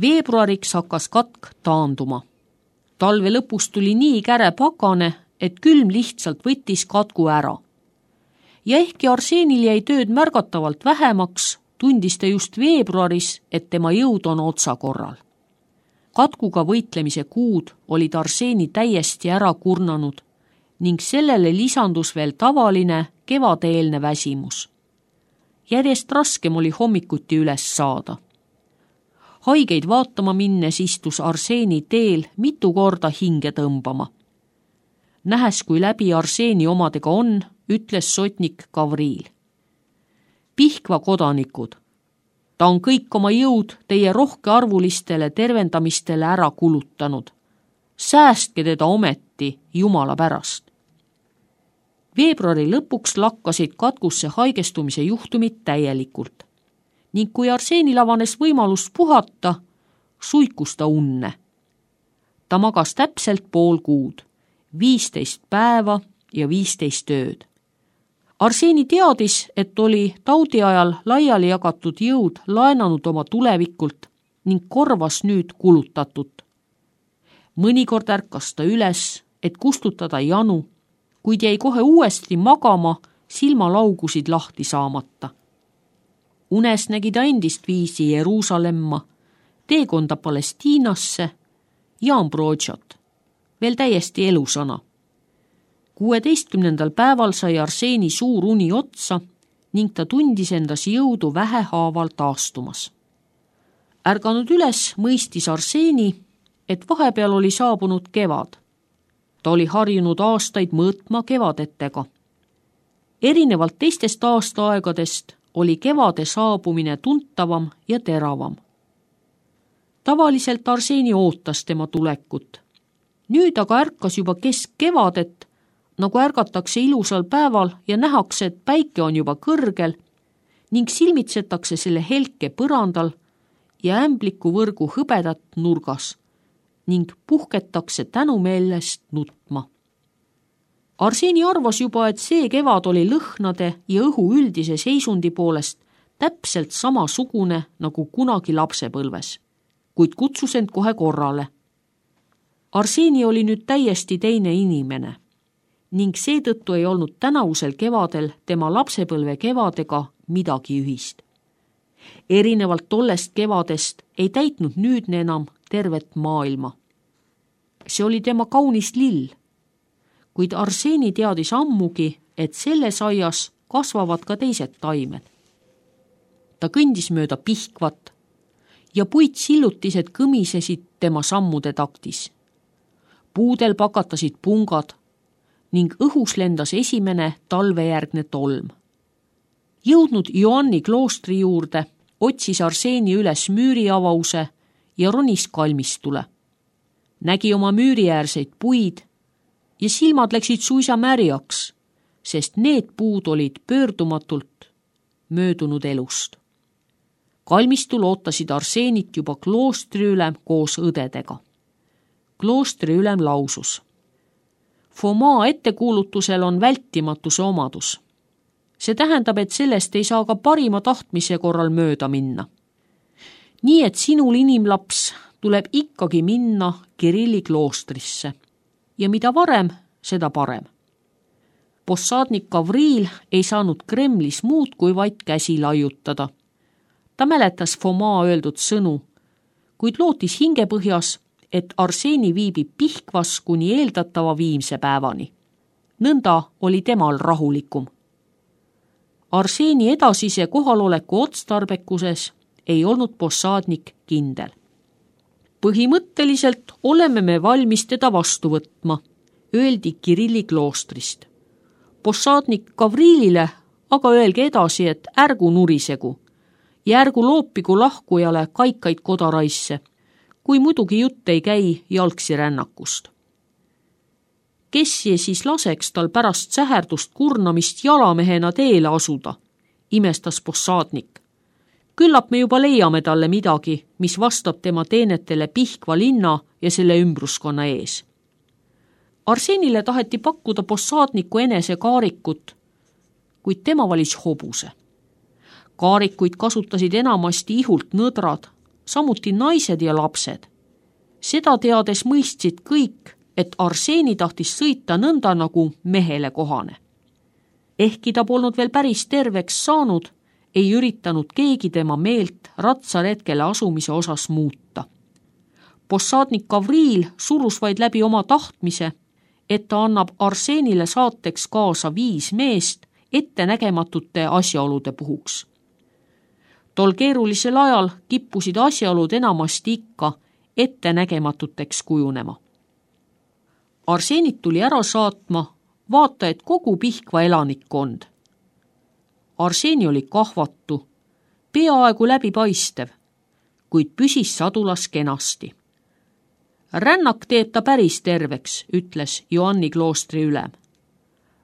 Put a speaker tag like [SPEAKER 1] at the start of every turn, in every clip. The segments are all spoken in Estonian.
[SPEAKER 1] Veebruariks hakkas katk taanduma. Talve lõpus tuli nii käre pakane, et külm lihtsalt võttis katku ära. Ja ehkki Arseenil jäi tööd märgatavalt vähemaks, tundis ta just veebruaris, et tema jõud on otsakorral. Katkuga võitlemise kuud olid Arseeni täiesti ära kurnanud ning sellele lisandus veel tavaline kevadeelne väsimus. Järjest raskem oli hommikuti üles saada. Haigeid vaatama minnes istus Arseeni teel mitu korda hinge tõmbama. Nähes, kui läbi Arseeni omadega on, ütles sotnik Gavril. Pihkva kodanikud, ta on kõik oma jõud teie rohkearvulistele tervendamistele ära kulutanud. Säästke teda ometi Jumala pärast. Veebruari lõpuks lakkasid katkusse haigestumise juhtumid täielikult ning kui Arseenil avanes võimalus puhata, suikus ta unne. Ta magas täpselt pool kuud, 15 päeva ja 15 ööd. Arseeni teadis, et oli taudi ajal laiali jagatud jõud laenanud oma tulevikult ning korvas nüüd kulutatut. Mõnikord ärkas ta üles, et kustutada janu, kuid jäi kohe uuesti magama, silmalaugusid lahti saamata. Unes nägi ta endist viisi Jeruusalemma, teekonda Palestiinasse ja Ambrosiot, veel täiesti elusana. 16. päeval sai Arseeni suur uni otsa ning ta tundis endas jõudu vähehaaval taastumas. Ärganud üles mõistis Arseeni, et vahepeal oli saabunud kevad. Ta oli harjunud aastaid mõõtma kevadetega. Erinevalt teistest aastaaegadest oli kevade saabumine tuntavam ja teravam. Tavaliselt Arseeni ootas tema tulekut. Nüüd aga ärkas juba keskkevadet, nagu ärgatakse ilusal päeval ja nähakse, et päike on juba kõrgel ning silmitsetakse selle helke põrandal ja ämbliku võrgu hõbedat nurgas ning puhketakse tänumeelest nutma. Arseeni arvas juba, et see kevad oli lõhnade ja õhu üldise seisundi poolest täpselt samasugune nagu kunagi lapsepõlves, kuid kutsus end kohe korrale. Arseeni oli nüüd täiesti teine inimene ning seetõttu ei olnud tänavusel kevadel tema lapsepõlve kevadega midagi ühist. Erinevalt tollest kevadest ei täitnud nüüdne enam tervet maailma. See oli tema kaunis lill, kuid Arseeni teadis ammugi, et selles aias kasvavad ka teised taimed. Ta kõndis mööda Pihkvat ja puitsillutised kõmisesid tema sammude taktis. Puudel pakatasid pungad ning õhus lendas esimene talvejärgne tolm. Jõudnud Joanni kloostri juurde, otsis Arseeni üles müüriavause ja ronis kalmistule. Nägi oma müüriäärseid puid ja silmad läksid suisa märjaks, sest need puud olid pöördumatult möödunud elust. Kalmistul ootasid Arseenit juba kloostriülem koos õdedega. Kloostriülem lausus: Fomaa ettekuulutusel on vältimatuse omadus. See tähendab, et sellest ei saa ka parima tahtmise korral mööda minna. Nii et sinul, inimlaps, tuleb ikkagi minna Kirilli kloostrisse ja mida varem, seda parem. Possadnik Gavril ei saanud Kremlis muud kui vaid käsi laiutada. Ta mäletas Fomaa öeldud sõnu, kuid lootis hingepõhjas, et Arseeni viibib Pihkvas kuni eeldatava viimse päevani. Nõnda oli temal rahulikum. Arseeni edasise kohaloleku otstarbekuses ei olnud possadnik kindel. Põhimõtteliselt oleme me valmis teda vastu võtma, öeldi Kirilli kloostrist. Possadnik Gavrilile aga öelge edasi, et ärgu nurisegu ja ärgu loopigu lahkujale kaikaid kodaraisse, kui muidugi jutt ei käi jalgsi rännakust. Kes siis laseks tal pärast säherdust kurnamist jalamehena teele asuda, imestas possadnik. Küllap me juba leiame talle midagi, mis vastab tema teenetele Pihkva linna ja selle ümbruskonna ees. Arseenile taheti pakkuda possadniku enese kaarikut, kuid tema valis hobuse. Kaarikuid kasutasid enamasti ihult nõdrad, samuti naised ja lapsed. Seda teades mõistsid kõik, et Arseeni tahtis sõita nõnda nagu mehele kohane. Ehkki ta polnud veel päris terveks saanud, ei üritanud keegi tema meelt ratsaretkele asumise osas muuta. Possadnik Gavril surus vaid läbi oma tahtmise, et ta annab Arseenile saateks kaasa 5 meest ettenägematute asjaolude puhuks. Tol keerulisel ajal kippusid asjaolud enamasti ikka ettenägematuteks kujunema. Arseenit tuli ära saatma, vaata et kogu Pihkva elanikkond. Arseeni oli kahvatu, peaaegu läbipaistev, kuid püsis sadulas kenasti. Rännak teeb ta päris terveks, ütles Joanni kloostri ülem.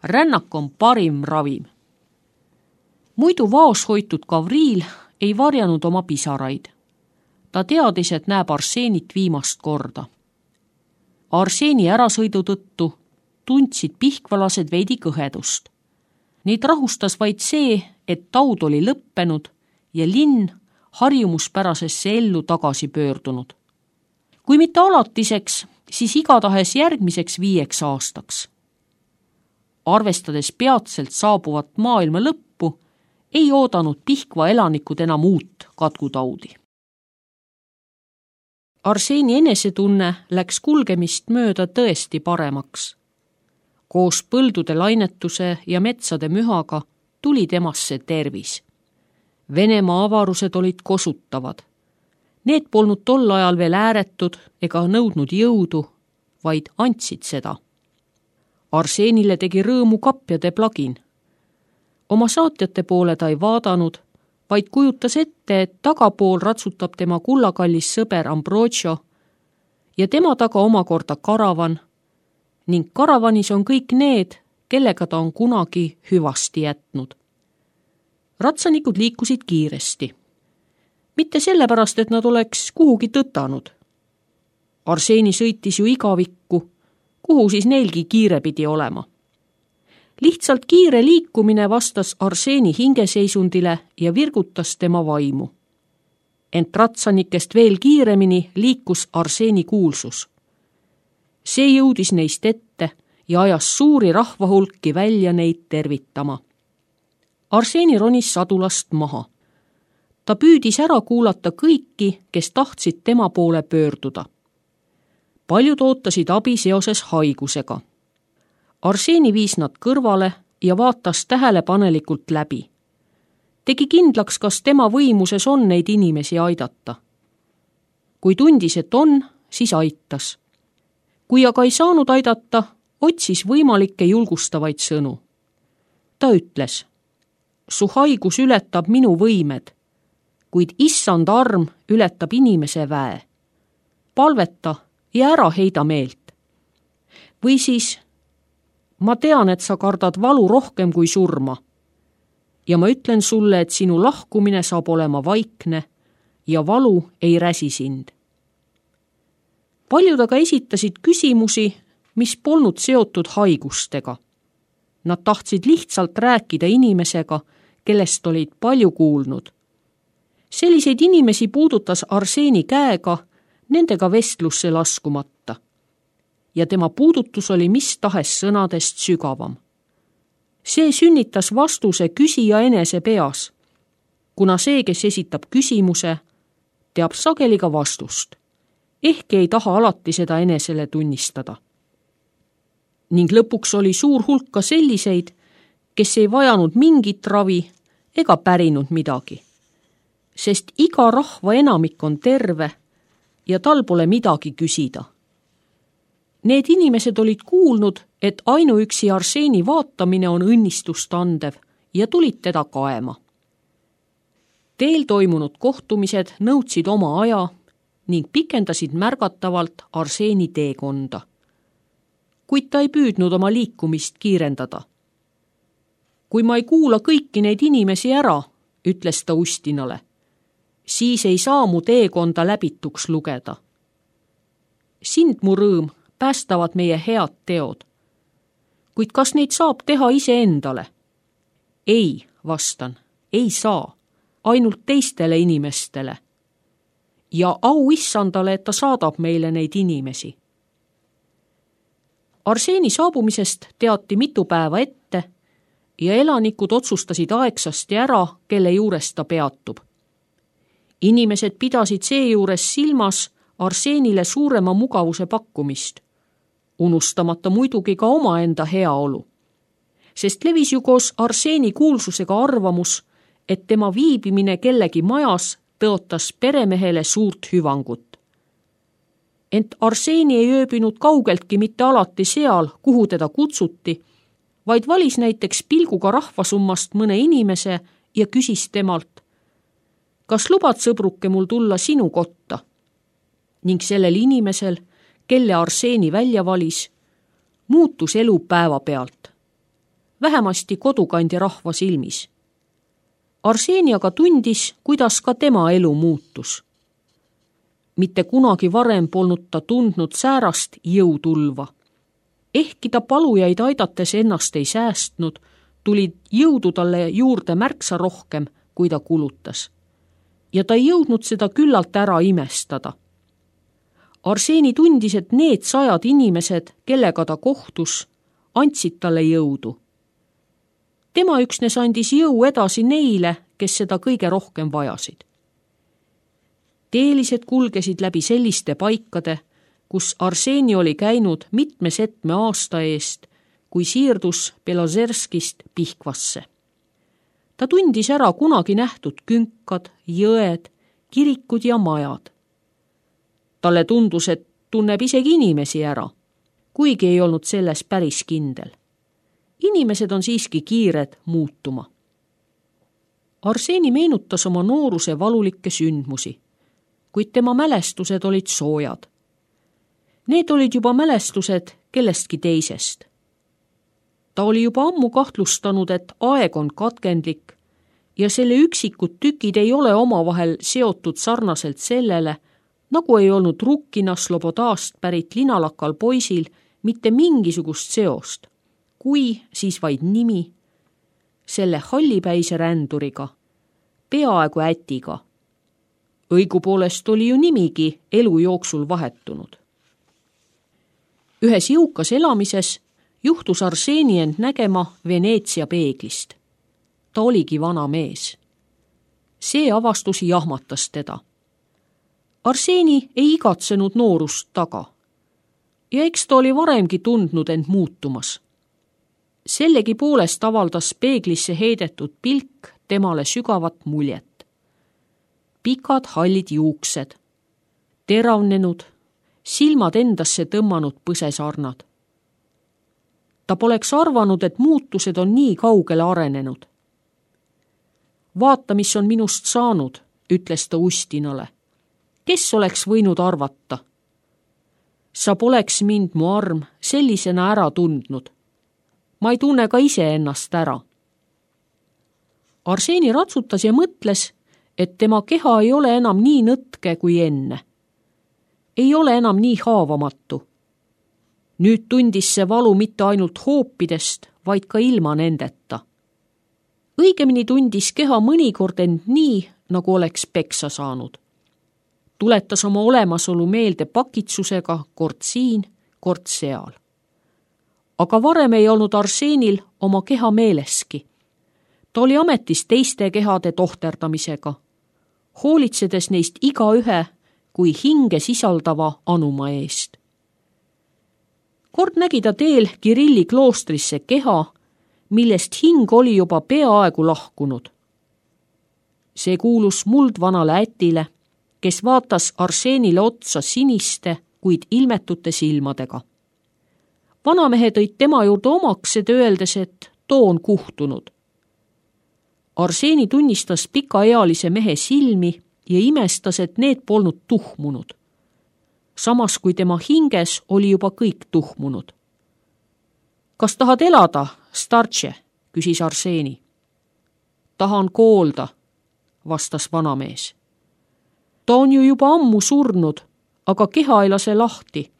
[SPEAKER 1] Rännak on parim ravim. Muidu vaoshoitud Gavril ei varjanud oma pisaraid. Ta teadis, et näeb Arseenit viimast korda. Arseeni ärasõidu tõttu tundsid pihkvalased veidi kõhedust. Neid rahustas vaid see, et taud oli lõppenud ja linn harjumuspärasesse ellu tagasi pöördunud. Kui mitte alatiseks, siis igatahes järgmiseks 5 aastaks. Arvestades peatselt saabuvat maailma lõppu, ei oodanud Pihkva elanikud enam uut katkutaudi. Arseeni enesetunne läks kulgemist mööda tõesti paremaks. Koos põldude lainetuse ja metsade mühaga tuli temasse tervis. Venemaa avarused olid kosutavad. Need polnud tol ajal veel ääretud ega nõudnud jõudu, vaid andsid seda. Arseenile tegi rõõmu kapjade plagin. Oma saatjate poole ta ei vaadanud, vaid kujutas ette, et tagapool ratsutab tema kullakallis sõber Ambrogio ja tema taga omakorda karavan ning karavanis on kõik need, kellega ta on kunagi hüvasti jätnud. Ratsanikud liikusid kiiresti. Mitte sellepärast, et nad oleks kuhugi tõtanud. Arseeni sõitis ju igavikku, kuhu siis neilgi kiire pidi olema. Lihtsalt kiire liikumine vastas Arseeni hingeseisundile ja virgutas tema vaimu. Ent ratsanikest veel kiiremini liikus Arseeni kuulsus. See jõudis neist ette ja ajas suuri rahvahulki välja neid tervitama. Arseeni ronis sadulast maha. Ta püüdis ära kuulata kõiki, kes tahtsid tema poole pöörduda. Paljud ootasid abi seoses haigusega. Arseeni viis nad kõrvale ja vaatas tähelepanelikult läbi. Tegi kindlaks, kas tema võimuses on neid inimesi aidata. Kui tundis, et on, siis aitas. Kui aga ei saanud aidata, otsis võimalikke julgustavaid sõnu. Ta ütles, su haigus ületab minu võimed, kuid issand arm ületab inimese väe. Palveta ja ära heida meelt. Või siis, ma tean, et sa kardad valu rohkem kui surma. Ja ma ütlen sulle, et sinu lahkumine saab olema vaikne ja valu ei räsi sind. Paljud aga esitasid küsimusi, mis polnud seotud haigustega. Nad tahtsid lihtsalt rääkida inimesega, kellest olid palju kuulnud. Selliseid inimesi puudutas Arseeni käega, nendega vestlusse laskumata. Ja tema puudutus oli mis tahes sõnadest sügavam. See sünnitas vastuse küsija enese peas, kuna see, kes esitab küsimuse, teab sageli ka vastust, ehkki ei taha alati seda enesele tunnistada. Ning lõpuks oli suur hulk ka selliseid, kes ei vajanud mingit ravi ega pärinud midagi, sest iga rahva enamik on terve ja tal pole midagi küsida. Need inimesed olid kuulnud, et ainuüksi Arseeni vaatamine on õnnistust andev ja tulid teda kaema. Teel toimunud kohtumised nõudsid oma aja ning pikendasid märgatavalt Arseeni teekonda. Kuid ta ei püüdnud oma liikumist kiirendada. Kui ma ei kuula kõiki neid inimesi ära, ütles ta Ustinale, siis ei saa mu teekonda läbituks lugeda. Sind, mu rõõm, päästavad meie head teod. Kuid kas neid saab teha iseendale? Ei, vastan, ei saa, ainult teistele inimestele. ja au issandale, et ta saadab meile neid inimesi. Arseeni saabumisest teati mitu päeva ette ja elanikud otsustasid aegsasti ära, kelle juures ta peatub. Inimesed pidasid seejuures silmas Arseenile suurema mugavuse pakkumist, unustamata muidugi ka omaenda heaolu, sest levis ju koos Arseeni kuulsusega arvamus, et tema viibimine kellegi majas tõotas peremehele suurt hüvangut. Ent Arseeni ei ööbinud kaugeltki mitte alati seal, kuhu teda kutsuti, vaid valis näiteks pilguga rahvasummast mõne inimese ja küsis temalt, kas lubad, sõbruke, mul tulla sinu kotta? Ning sellel inimesel, kelle Arseeni välja valis, muutus elu päevapealt, vähemasti kodukandi rahva silmis. Arseeni aga tundis, kuidas ka tema elu muutus. Mitte kunagi varem polnud ta tundnud säärast jõutulva. Ehkki ta palujaid aidates ennast ei säästnud, tuli jõudu talle juurde märksa rohkem, kui ta kulutas. Ja ta ei jõudnud seda küllalt ära imestada. Arseeni tundis, et need 100 inimesed, kellega ta kohtus, andsid talle jõudu. Tema üksnes andis jõu edasi neile, kes seda kõige rohkem vajasid. Teelised kulgesid läbi selliste paikade, kus Arseeni oli käinud mitme setme aasta eest, kui siirdus Belozerskist Pihkvasse. Ta tundis ära kunagi nähtud künkad, jõed, kirikud ja majad. Talle tundus, et tunneb isegi inimesi ära, kuigi ei olnud selles päris kindel. Inimesed on siiski kiired muutuma. Arseeni meenutas oma nooruse valulikke sündmusi, kuid tema mälestused olid soojad. Need olid juba mälestused kellestki teisest. Ta oli juba ammu kahtlustanud, et aeg on katkendlik ja selle üksikud tükid ei ole omavahel seotud sarnaselt sellele, nagu ei olnud Rukkina Slobodast pärit linalakal poisil mitte mingisugust seost, kui siis vaid nimi, selle hallipäise ränduriga, peaaegu ätiga. Õigupoolest oli ju nimigi elu jooksul vahetunud. Ühes jõukas elamises juhtus Arseeni end nägema Veneetsia peeglist. Ta oligi vana mees. See avastus jahmatas teda. Arseeni ei igatsenud noorust taga. Ja eks ta oli varemgi tundnud end muutumas. Sellegi poolest avaldas peeglisse heidetud pilk temale sügavat muljet. Pikad hallid juuksed, teravnenud, silmad endasse tõmmanud põsesarnad. Ta poleks arvanud, et muutused on nii kaugele arenenud. Vaata, mis on minust saanud, ütles ta Ustinale. Kes oleks võinud arvata? Sa poleks mind, mu arm, sellisena ära tundnud. Ma ei tunne ka ise ennast ära. Arseeni ratsutas ja mõtles, et tema keha ei ole enam nii nõtke kui enne. Ei ole enam nii haavamatu. Nüüd tundis see valu mitte ainult hoopidest, vaid ka ilma nendeta. Õigemini tundis keha mõnikord end nii, nagu oleks peksa saanud. Tuletas oma olemasolu meelde pakitsusega kord siin, kord seal. Aga varem ei olnud Arseenil oma keha meeleski. Ta oli ametis teiste kehade tohterdamisega, hoolitsedes neist igaühe kui hinge sisaldava anuma eest. Kord nägi ta teel Kirilli kloostrisse keha, millest hing oli juba peaaegu lahkunud. See kuulus muldvanale ätile, kes vaatas Arseenile otsa siniste, kuid ilmetute silmadega. Vanamehe tõid tema juurde omaksed, öeldes, et too on kuhtunud. Arseeni tunnistas pikaealise mehe silmi ja imestas, et need polnud tuhmunud. Samas kui tema hinges oli juba kõik tuhmunud. Kas tahad elada, startše, küsis Arseeni. Tahan koolda, vastas vanamees. Ta on ju juba ammu surnud, aga keha ei lase lahti.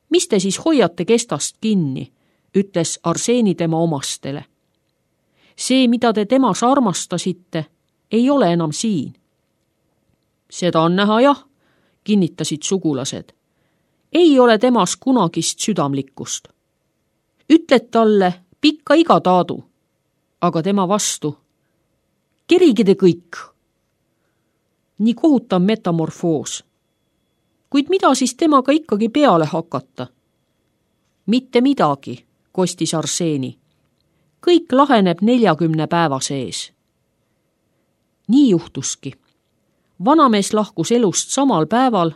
[SPEAKER 1] Mis te siis hoiate kestast kinni, ütles Arseeni tema omastele. See, mida te temas armastasite, ei ole enam siin. Seda on näha jah, kinnitasid sugulased. Ei ole temas kunagist südamlikkust. Ütled talle pikka iga taadu, aga tema vastu. Kerige te kõik. Nii kohutav metamorfoos. Kuid mida siis temaga ikkagi peale hakata? Mitte midagi, kostis Arseeni. Kõik laheneb 40 päeva sees. Nii juhtuski. Vanamees lahkus elust samal päeval,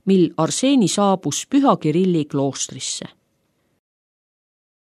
[SPEAKER 1] mil Arseeni saabus Püha Kirilli kloostrisse.